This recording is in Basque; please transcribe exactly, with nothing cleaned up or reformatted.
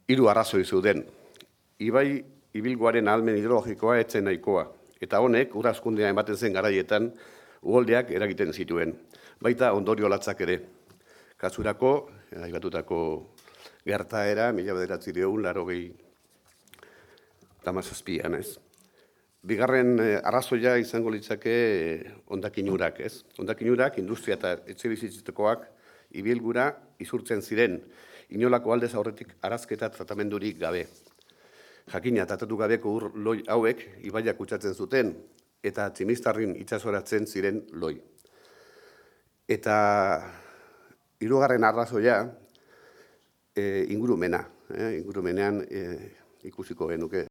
Hiru arrazoi zeuden. Ibai ibilguaren ahalmen hidrologikoa etzen nahikoa, eta honek ur hazkundea ematen zen garaietan uholdeak eragiten zituen, baita ondorio latzak ere. Kasurako, aibatutako gertaera, mila bederatziehun eta laurogei eta hamazazpian, ez? Bigarren arrazoia izango litzake hondakin-urak, ez? Hondakin-urak, industria eta etxebizitzekoak ibilgura izurtzen ziren, inolako aldez aurretik arazketa tratamendurik gabe. Jakina, tratatu gabeko ur loi hauek ibaiak kutsatzen zuten, eta Tximistarrin itsasoratzen ziren loi. Eta hirugarren arrazoia e, ingurumena, eh? ingurumenean e, ikusiko genuke.